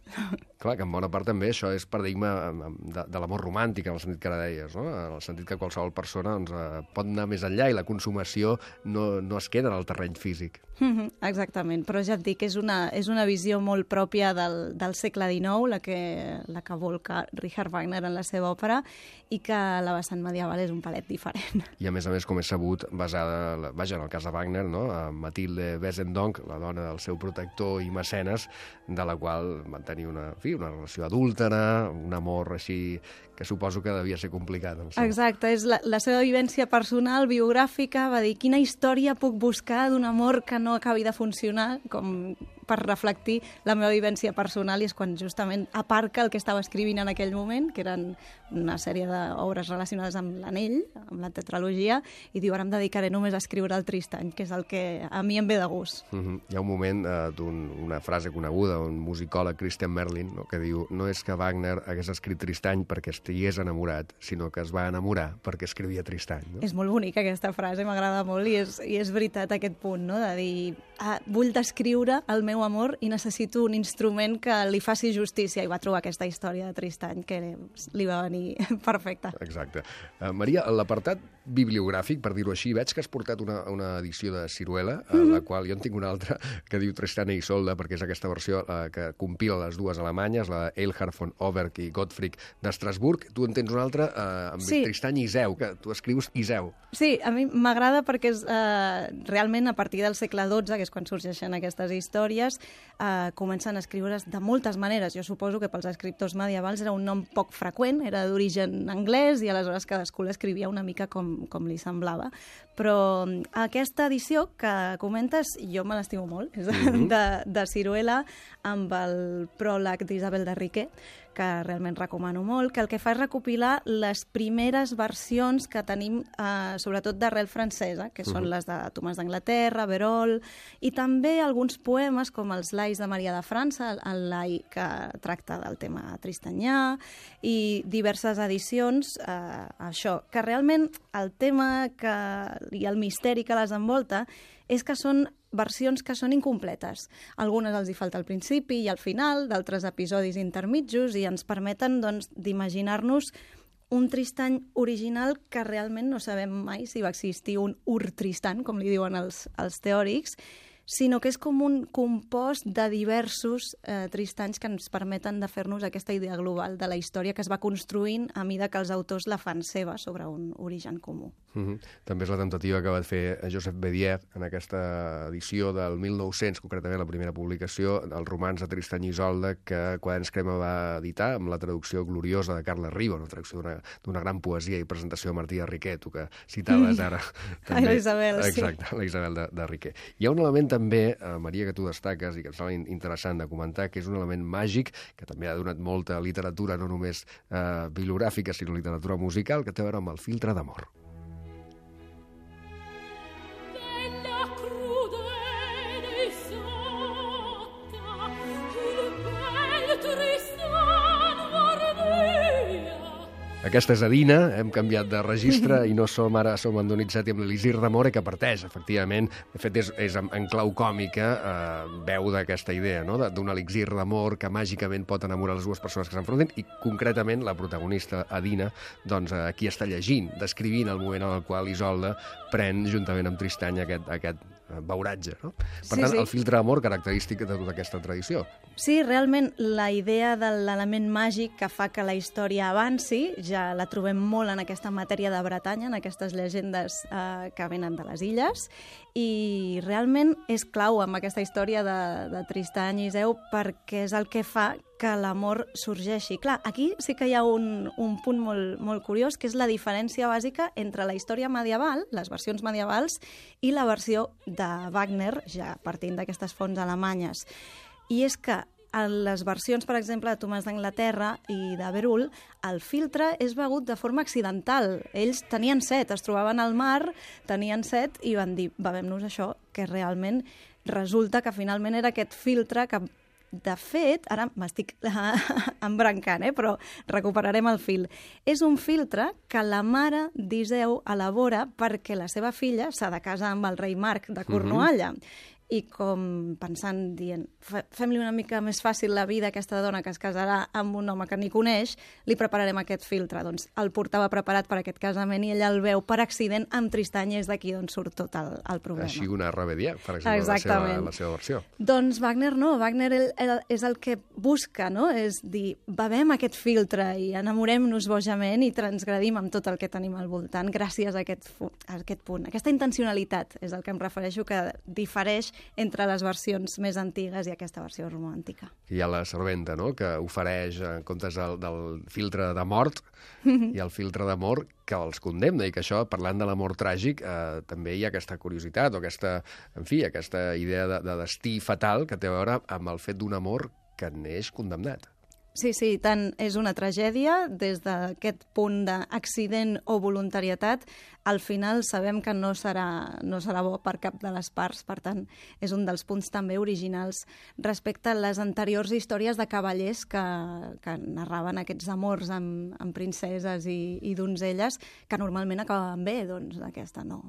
Clar, que en bona part també això és paradigma de, de l'amor romàntic, en el sentit que ara deies, no? En el sentit que qualsevol persona doncs, pot anar més enllà i la consumació no, no es queda en el terreny físic. Mm-hmm, exactament, però ja et dic, és una, és una visió molt pròpia del, del segle dinou, la que, la que volca Richard Wagner en la seva òpera, i que la vessant medieval és un palet diferent. I a més a més, com és sabut, basada, vaja, en el cas de Wagner, no?, a Mathilde Wesendonck, la dona del seu protector i mecenes, de la qual van tenir una, en fi, una relació adúltera, un amor així que suposo que devia ser complicat. Exacte, és la, la seva vivència personal, biogràfica, va dir, quina història puc buscar d'un amor que no acabi de funcionar, com per reflectir la meva vivència personal, i és quan justament aparca el que estava escrivint en aquell moment, que eren una sèrie d'obres relacionades amb l'anell, amb la tetralogia, i diu, ara em dedicaré només a escriure el Tristany, que és el que a mi em ve de gust. Mm-hmm. Hi ha un moment eh, d'una un, frase coneguda, un musicòleg, Christian Merlin, no?, que diu, no és que Wagner hagués escrit Tristany perquè estigués enamorat, sinó que es va enamorar perquè escrivia Tristany. No? És molt bonica aquesta frase, m'agrada molt, i és, i és veritat aquest punt, no?, de dir, ah, vull descriure el meu amor i necessito un instrument que li faci justícia, i va trobar aquesta història de Tristany que li va venir perfecta. Exacte. Uh, Maria, l'apartat bibliogràfic, per dir-ho així, veig que has portat una, una edició de Ciruela, a mm-hmm. la qual jo en tinc una altra que diu Tristany i Isolde, perquè és aquesta versió uh, que compila les dues alemanyes, la Eilhard von Oberg i Gottfried d'Estrasburg. Tu en tens una altra uh, amb sí. Tristany i Iseu, que tu escrius Iseu. Sí, a mi m'agrada perquè és uh, realment a partir del segle dotze, que és quan sorgeixen aquestes històries, uh, comencen a escriure's de moltes maneres. Jo suposo que pels escriptors medievals era un nom poc freqüent, era d'origen anglès, i aleshores cadascú l'escrivia una mica com, com li semblava. Però aquesta edició que comentes, jo me l'estimo molt, és mm-hmm. de, de Ciruela, amb el pròleg d'Isabel de Riquer, que realment recomano molt, que el que fa és recopilar les primeres versions que tenim, eh, sobretot d'arrel francesa, que són uh-huh. les de Tomàs d'Anglaterra, Berol, i també alguns poemes com els Lais de Maria de França, el lai que tracta del tema tristanyà, i diverses edicions, eh, això, que realment el tema que, i el misteri que les envolta és que són versions que són incompletes. Algunes els hi falta al principi i al final, d'altres episodis intermitjos, i ens permeten doncs, d'imaginar-nos un Tristany original que realment no sabem mai si va existir un Ur-Tristan, com li diuen els, els teòrics, sinó que és com un compost de diversos eh, Tristanys que ens permeten de fer-nos aquesta idea global de la història que es va construint a mida que els autors la fan seva sobre un origen comú. Mm-hmm. També és la temptativa que va fer Joseph Bédier en aquesta edició del mil nou-cents, concretament la primera publicació, el romanç de Tristany i Isolde, que Quaderns Crema va editar amb la traducció gloriosa de Carles Riba, una traducció d'una gran poesia i presentació de Martí de Riquer, tu que citaves ara. També. La Isabel, sí. Exacte, la Isabel de, de Riquer. Hi ha un element també, eh, Maria, que tu destaques i que em sembla interessant de comentar, que és un element màgic que també ha donat molta literatura, no només eh, bibliogràfica, sinó literatura musical, que té a veure amb el filtre d'amor. Aquesta és Adina, hem canviat de registre i no som ara som en Donizetti amb l'Elisir d'Amore, que parteix, efectivament. De fet, és, és en, en clau còmica, eh, veu d'aquesta idea, no?, d'un elixir d'amor que màgicament pot enamorar les dues persones que s'enfronten, i concretament la protagonista, Adina, doncs eh, aquí està llegint, descrivint el moment en el qual Isolde pren, juntament amb Tristany, aquest, aquest beuratge, no? Per sí, tant, sí. el filtre d'amor característic de tota aquesta tradició. Sí, realment la idea de l'element màgic que fa que la història avanci ja la trobem molt en aquesta matèria de Bretanya, en aquestes llegendes eh, que venen de les illes, i realment és clau amb aquesta història de, de Tristany i Iseu perquè és el que fa que l'amor sorgeixi. Clar, aquí sí que hi ha un, un punt molt, molt curiós, que és la diferència bàsica entre la història medieval, les versions medievals, i la versió de Wagner, ja partint d'aquestes fonts alemanyes. I és que en les versions, per exemple, de Tomàs d'Anglaterra i de Berull, el filtre és begut de forma accidental. Ells tenien set, es trobaven al mar, tenien set, i van dir, bevem-nos això, que realment resulta que finalment era aquest filtre que, de fet, ara m'estic embrancant, eh? Però recuperarem el fil. És un filtre que la mare d'Iseu elabora perquè la seva filla s'ha de casar amb el rei Marc de Cornualla. Mm-hmm. I com pensant, dient, fem-li una mica més fàcil la vida a aquesta dona que es casarà amb un home que ni coneix, li prepararem aquest filtre. Doncs el portava preparat per aquest casament i ella el veu per accident amb Tristany, i és d'aquí d'on surt tot el, el problema. Així una Rebedier, per exemple, la seva, la seva versió. Doncs Wagner no, Wagner el, el, és el que busca, no? És dir, bevem aquest filtre i enamorem-nos bojament i transgredim amb tot el que tenim al voltant gràcies a aquest, a aquest punt. Aquesta intencionalitat és el que em refereixo, que difereix entre les versions més antigues i aquesta versió romàntica. Hi ha la serventa, no?, que ofereix, en comptes del, del filtre de mort, i el filtre d'amor que els condemna, i que això, parlant de l'amor tràgic, eh, també hi ha aquesta curiositat, o aquesta, en fi, aquesta idea de, de destí fatal que té a veure amb el fet d'un amor que neix condemnat. Sí, sí, tant és una tragèdia, des d'aquest punt d'accident o voluntarietat, al final sabem que no serà, no serà bo per cap de les parts, per tant, és un dels punts també originals respecte a les anteriors històries de cavallers que, que narraven aquests amors amb, amb princeses i, i donzelles, que normalment acabaven bé, doncs aquesta no.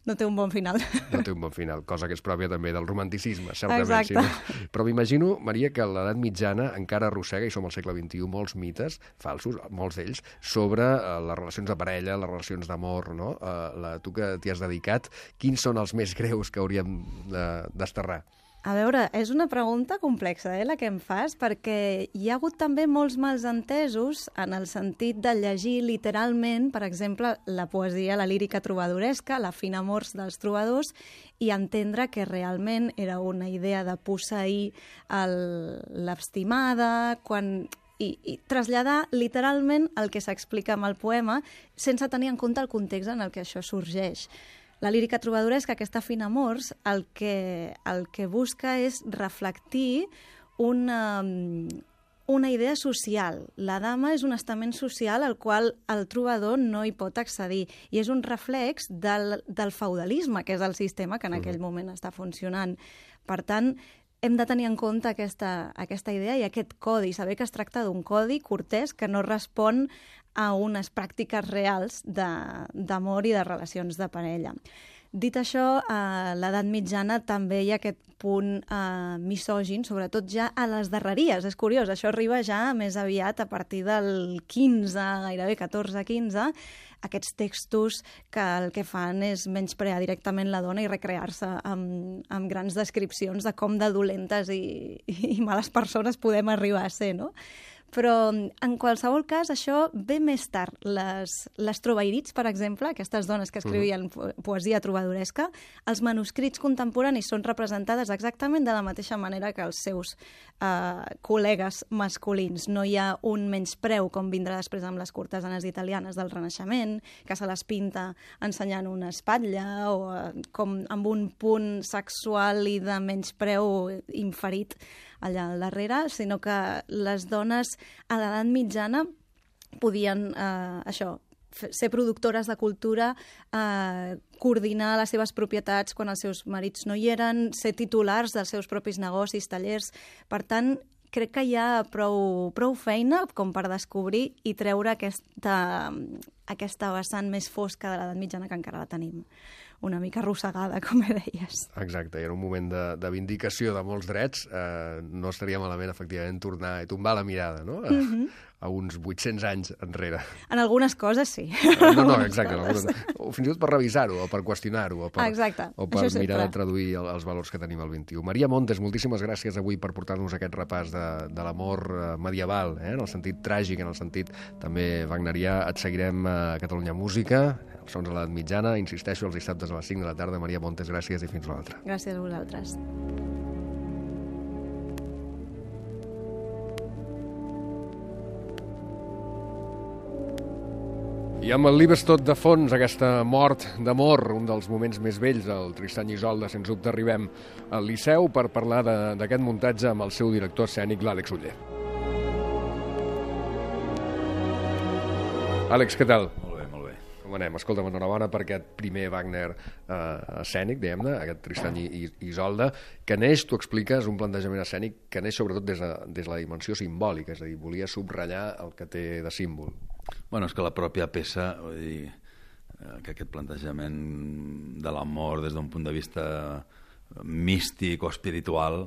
No té un bon final. No té un bon final, cosa que és pròpia també del romanticisme, certament. Exacte. Sí, no? Però m'imagino, Maria, que l'edat mitjana encara arrossega, i som al segle vint-i-u, molts mites falsos, molts d'ells, sobre uh, les relacions de parella, les relacions d'amor, no? Uh, la, tu que t'hi has dedicat, quins són els més greus que hauríem uh, desterrar? A veure, és una pregunta complexa, eh, la que em fas, perquè hi ha hagut també molts mals entesos en el sentit de llegir literalment, per exemple, la poesia, la lírica trobadoresca, la fina amors dels trobadors, i entendre que realment era una idea de posseir l'estimada, quan... I, i traslladar literalment el que s'explica amb el poema sense tenir en compte el context en el que això sorgeix. La lírica trobadoresca, aquesta fina amors, el que, el que busca és reflectir una, una idea social. La dama és un estament social al qual el trobador no hi pot accedir, i és un reflex del, del feudalisme, que és el sistema que en aquell moment està funcionant. Per tant, hem de tenir en compte aquesta, aquesta idea i aquest codi, saber que es tracta d'un codi cortès que no respon a unes pràctiques reals d'amor i de relacions de parella. Dit això, a l'edat mitjana també hi ha aquest punt eh, misògin, sobretot ja a les darreries. És curiós, això arriba ja més aviat a partir del quinze, gairebé catorze quinze, aquests textos que el que fan és menysprear directament la dona i recrear-se amb, amb grans descripcions de com de dolentes i, i males persones podem arribar a ser, no? Però, en qualsevol cas, això ve més tard. Les, les trobairits, per exemple, aquestes dones que escrivien poesia trobadoresca, els manuscrits contemporanis són representades exactament de la mateixa manera que els seus eh, col·legues masculins. No hi ha un menyspreu, com vindrà després amb les cortesanes italianes del Renaixement, que se les pinta ensenyant una espatlla o eh, com amb un punt sexual i de menyspreu inferit allà al darrere, sinó que les dones a l'edat mitjana podien, eh, això, ser productores de cultura, eh, coordinar les seves propietats quan els seus marits no hi eren, ser titulars dels seus propis negocis, tallers. Per tant, crec que hi ha prou, prou feina com per descobrir i treure aquesta, aquesta vessant més fosca de l'edat mitjana que encara la tenim una mica arrossegada, com deies. Exacte, i en un moment de, de vindicació de molts drets eh, no estaria malament, efectivament, tornar i tombar la mirada, no? A, mm-hmm. a uns vuit-cents anys enrere. En algunes coses, sí. No, no, exacte. Algunes, o fins i tot per revisar-ho, o per qüestionar-ho, o per, exacte, o per mirar de traduir el, els valors que tenim al vint-i-u. Maria Montes, moltíssimes gràcies avui per portar-nos aquest repàs de, de l'amor medieval, eh? En el sentit tràgic, en el sentit també wagnerià. Et seguirem a Catalunya Música, els sons a l'edat mitjana, insisteixo, els dissabtes a les cinc de la tarda. Maria Montes, gràcies i fins l'altra. Gràcies a vosaltres. I amb el Liebestod de fons, aquesta mort d'amor, un dels moments més vells del Tristany i Isolda, sens dubte arribem al Liceu per parlar d'aquest muntatge amb el seu director escènic, l'Àlex Oller. Àlex, què tal? Molt bé, molt bé. Com anem? Escolta'm, enhorabona per aquest primer Wagner eh, escènic, diguem-ne, aquest Tristany i Isolda, que neix, tu expliques, un plantejament escènic que neix sobretot des de, des de la dimensió simbòlica, és a dir, volia subratllar el que té de símbol. Bueno, és que la pròpia peça, vull dir, que aquest plantejament de l'amor des d'un punt de vista místic o espiritual,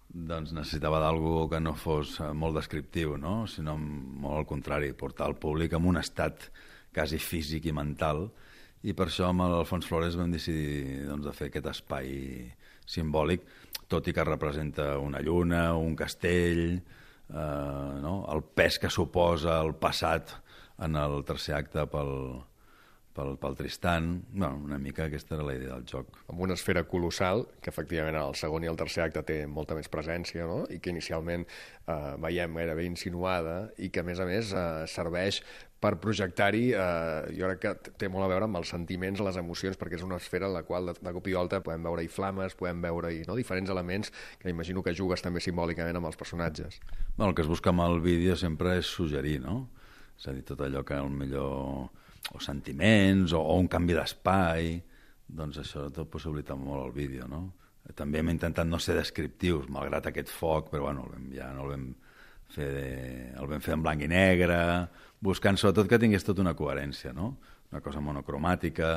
doncs necessitava d'algú que no fos molt descriptiu, no? Sinó molt al contrari, portar el públic en un estat quasi físic i mental, i per això amb l'Alfons Flores vam decidir doncs, de fer aquest espai simbòlic, tot i que representa una lluna, un castell, eh, no? El pes que suposa el passat en el tercer acte pel, pel, pel Tristan. Bueno, una mica aquesta era la idea del joc. Amb una esfera colossal, que efectivament el segon i el tercer acte té molta més presència, no? I que inicialment eh, veiem gairebé insinuada i que, a més a més, eh, serveix per projectar-hi, eh, jo crec que té molt a veure amb els sentiments, les emocions, perquè és una esfera en la qual de, de cop i volta podem veure-hi flames, podem veure-hi no? diferents elements que imagino que jugues també simbòlicament amb els personatges. Bueno, el que es busca amb el vídeo sempre és suggerir, no? És a dir, tot allò que el millor... o sentiments, o, o un canvi d'espai, doncs això tot possibilita molt el vídeo, no? També hem intentat no ser descriptius, malgrat aquest foc, però bueno, el vam, ja no el vam fer, de, el vam fer en blanc i negre, buscant sobretot que tingués tota una coherència, no? Una cosa monocromàtica,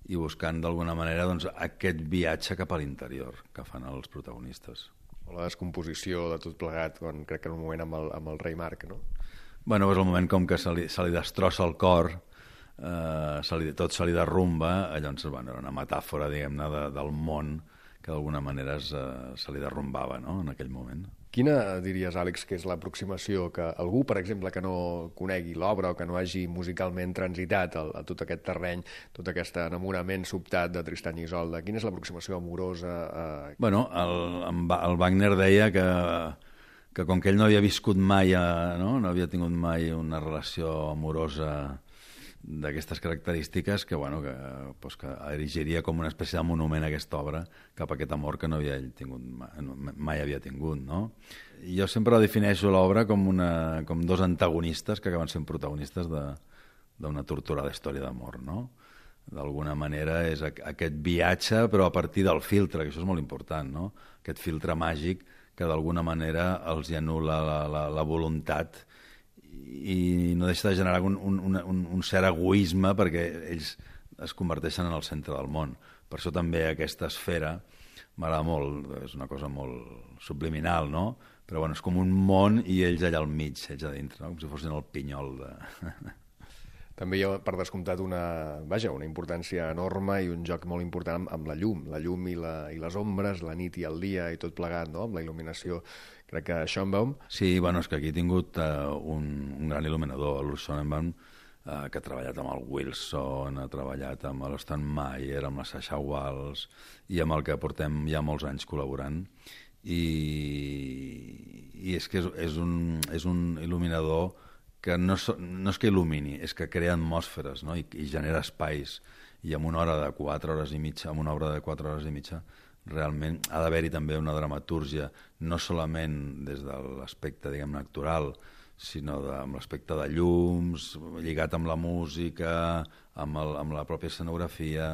i buscant d'alguna manera doncs, aquest viatge cap a l'interior que fan els protagonistes. O la descomposició de tot plegat, quan crec que en un moment amb el, amb el rei Marc, no? Bueno, és el moment com que se li, se li destrossa el cor, eh, se li, tot se li derrumba, llavors bueno, era una metàfora, diguem-ne, de, del món que d'alguna manera es, eh, se li derrumbava, no?, en aquell moment. Quina diries, Àlex, que és l'aproximació que algú, per exemple, que no conegui l'obra o que no hagi musicalment transitat a, a tot aquest terreny, tot aquest enamorament sobtat de Tristany i Isolda, quina és l'aproximació amorosa? Eh... Bueno, el, el Wagner deia que, que com que ell no havia viscut mai, a, no? no havia tingut mai una relació amorosa d'aquestes característiques, que, bueno, que, pues, que erigiria com una espècie de monument a aquesta obra cap a aquest amor que no havia tingut, mai, mai havia tingut, no? I jo sempre defineixo l'obra com, una, com dos antagonistes que acaben sent protagonistes d'una torturada història d'amor, no? D'alguna manera és aquest viatge, però a partir del filtre, que això és molt important, no? Aquest filtre màgic que d'alguna manera els hi anul·la la, la, la voluntat i no deixa de generar un, un, un, un cert egoisme perquè ells es converteixen en el centre del món. Per això també aquesta esfera m'agrada molt, és una cosa molt subliminal, no? Però bueno, és com un món i ells allà al mig, ells a dintre, no? Com si fossin el pinyol de... També hi ha, per descomptat, una, vaja, una importància enorme i un joc molt important amb, amb la llum, la llum i, la, i les ombres, la nit i el dia i tot plegat, no?, amb la il·luminació. Crec que Schoenbaum... Sí, bueno, és que aquí he tingut uh, un, un gran il·luminador, el Schoenbaum, uh, que ha treballat amb el Wilson, ha treballat amb l'Stan Meyer, amb la Sasha Walsh, i amb el que portem ja molts anys col·laborant. I, i és que és, és, un, és un il·luminador que no, so, no és que il·lumini, és que crea atmosferes, no? I, i genera espais. I amb una hora de quatre hores i mitja, amb una obra de quatre hores i mitja, realment ha d'haver-hi també una dramatúrgia, no solament des de l'aspecte, diguem-ne, actoral, sinó de, amb l'aspecte de llums, lligat amb la música, amb, el, amb la pròpia escenografia,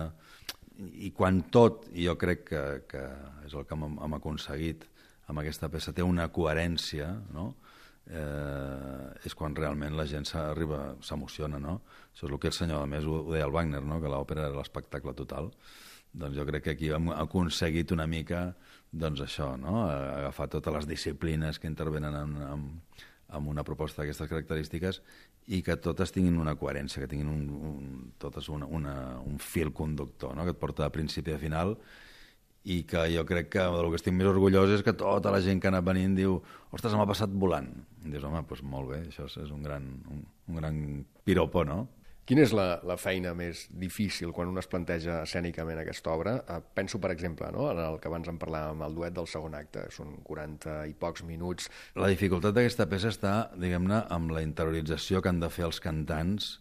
i quan tot, i jo crec que, que és el que hem, hem aconseguit amb aquesta peça, té una coherència, no?, eh, és quan realment la gent s'arriba, s'emociona, no? Això és el que el senyor, a més, ho, ho deia el Wagner, no?, que l'òpera era l'espectacle total. Doncs jo crec que aquí hem aconseguit una mica, doncs això, no?, agafar totes les disciplines que intervenen en, en, en una proposta d'aquestes característiques i que totes tinguin una coherència, que tinguin un, un, totes una, una, un fil conductor, no?, que et porta de principi a final, i que jo crec que el que estic més orgullós és que tota la gent que ha anat venint diu ostres, m'ha passat volant. I dius, home, doncs molt bé, això és un gran, un, un gran piropo, no? Quina és la, la feina més difícil quan un es planteja escènicament aquesta obra? Eh, penso, per exemple, no?, en el que abans en parlàvem, el duet del segon acte, són quaranta i pocs minuts. La dificultat d'aquesta peça està, diguem-ne, amb la interiorització que han de fer els cantants,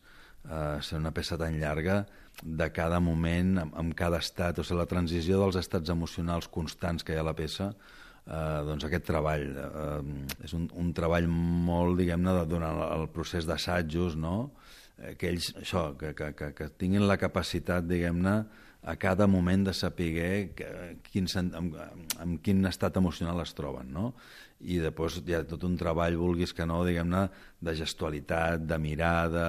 eh, ser una peça tan llarga, de cada moment, amb, amb cada estat, o sigui, la transició dels estats emocionals constants que hi ha a la peça, eh, doncs aquest treball eh, és un, un treball molt, diguem-ne, durant el procés d'assajos, no?, que ells, això, que, que, que, que tinguin la capacitat, diguem-ne, a cada moment de saber que, quin, amb, amb quin estat emocional es troben, no? I després hi ha tot un treball, vulguis que no, diguem-ne, de gestualitat, de mirada,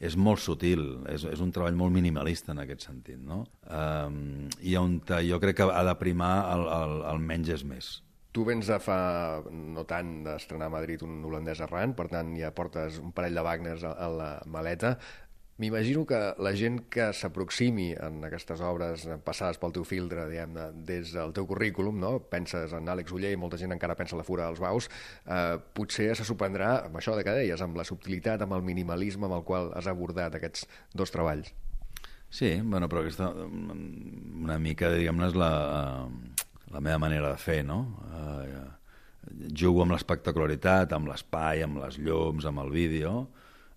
és molt sutil, és, és un treball molt minimalista en aquest sentit, no? Um, I on jo crec que ha de primar el, el, el menys és més. Tu vens de fa no tant d'estrenar a Madrid un holandès errant, per tant ja portes un parell de Wagners a, a la maleta. M'imagino que la gent que s'aproximi en aquestes obres passades pel teu filtre, diguem-ne, des del teu currículum, no?, penses en Àlex Oller i molta gent encara pensa en La Fura dels Baus, eh, potser se sorprendrà amb això de que deies, amb la subtilitat, amb el minimalisme amb el qual has abordat aquests dos treballs. Sí, bueno, però aquesta una mica, diguem-ne, és la, la meva manera de fer, no? Uh, jugo amb l'espectacularitat, amb l'espai, amb les llums, amb el vídeo.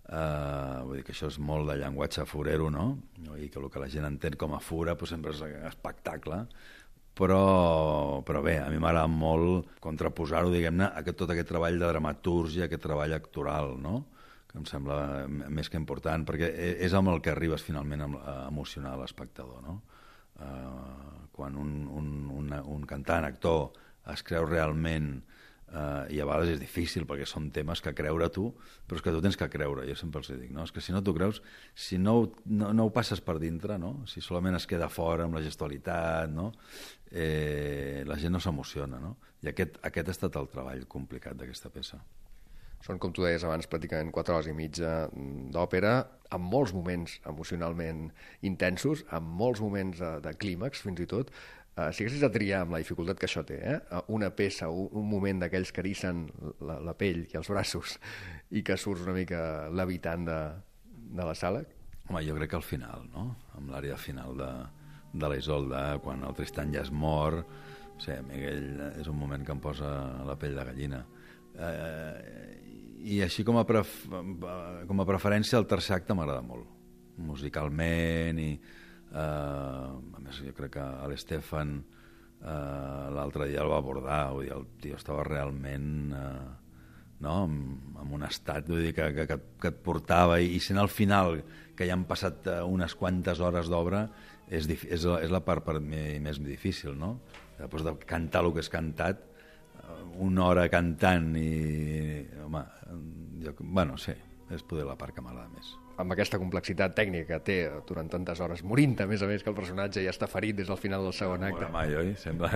Uh, vull dir que això és molt de llenguatge furero, no? I que el que la gent entén com a fura pues, sempre és espectacle. Però, però bé, a mi m'agrada molt contraposar-ho, diguem-ne, a tot aquest treball de dramatúrgia, aquest treball actoral, no? Que em sembla més que important, perquè és amb el que arribes finalment a emocionar l'espectador, no? Uh, quan un, un, un, un cantant, actor, es creu realment, uh, i a vegades és difícil perquè són temes que creure tu, però és que tu tens que creure, jo sempre els dic, no? És que si no t'ho creus, si no, no, no ho passes per dintre, no? Si solament es queda fora amb la gestualitat, no? Eh, la gent no s'emociona, no? I aquest, aquest ha estat el treball complicat d'aquesta peça. Són, com tu deies abans, pràcticament quatre hores i mitja d'òpera, amb molts moments emocionalment intensos, amb molts moments de, de clímax, fins i tot. Uh, si haguessis de triar amb la dificultat que això té, eh? una peça, un, un moment d'aquells que erissen la, la pell i els braços i que surts una mica levitant de, de la sala? Home, jo crec que al final, no? Amb l'àrea final de, de la Isolda, quan el Tristan ja és mort, o sigui, Miguel, és un moment que em posa la pell de gallina. Eh, i així com a, pref com a preferència el tercer acte m'agrada molt musicalment i eh, a més jo crec que l'Estefan eh, l'altre dia el va abordar, vull dir, el tio estava realment eh, no? amb, amb un estat, vull dir, que, que, que et portava i, i sent al final que ja han passat unes quantes hores d'obra és, és, és la part per mi més difícil, no? Després de cantar el que és cantat una hora cantant i... Home, jo, bueno, sí, és poder la part que m'agrada més. Amb aquesta complexitat tècnica que té durant tantes hores, morint a més a més que el personatge ja està ferit des del final del segon acte. No mai, oi? Sembla,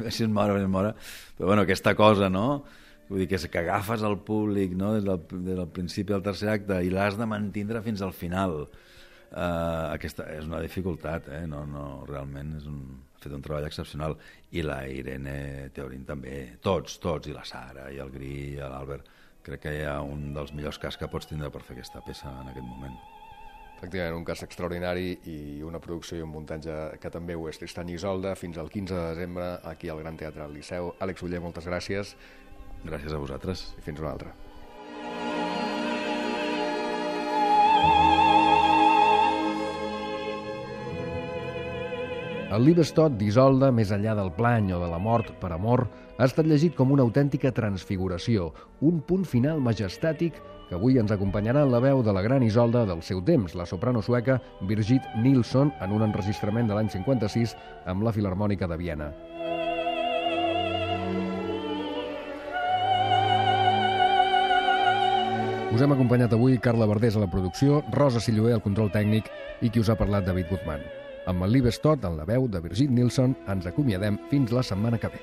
si es mora, es mora. Però bueno, aquesta cosa, no? Vull dir que, que agafes el públic, no? des, del, des del principi del tercer acte i l'has de mantindre fins al final. Uh, aquesta és una dificultat, eh? No, no, realment és un... ha fet un treball excepcional, i la Irene Teorín també, tots, tots, i la Sara, i el Gri, i l'Albert, crec que hi ha un dels millors cas que pots tindre per fer aquesta peça en aquest moment. Efectivament, un cas extraordinari i una producció i un muntatge que també ho és. Tristan i Isolda, fins al quinze de desembre, aquí al Gran Teatre del Liceu. Àlex Oller, moltes gràcies. Gràcies a vosaltres. I fins una altra. El Liebestod d'Isolda, més enllà del plany o de la mort per amor, ha estat llegit com una autèntica transfiguració, un punt final majestàtic que avui ens acompanyarà en la veu de la gran Isolda del seu temps, la soprano sueca Birgit Nilsson, en un enregistrament de l'any cinquanta-sis amb la Filharmònica de Viena. Us hem acompanyat avui Carla Verdés a la producció, Rosa Silloé al control tècnic i qui us ha parlat, David Guzmán. Amb el Liebestod, en la veu de Birgit Nilsson, ens acomiadem fins la setmana que ve.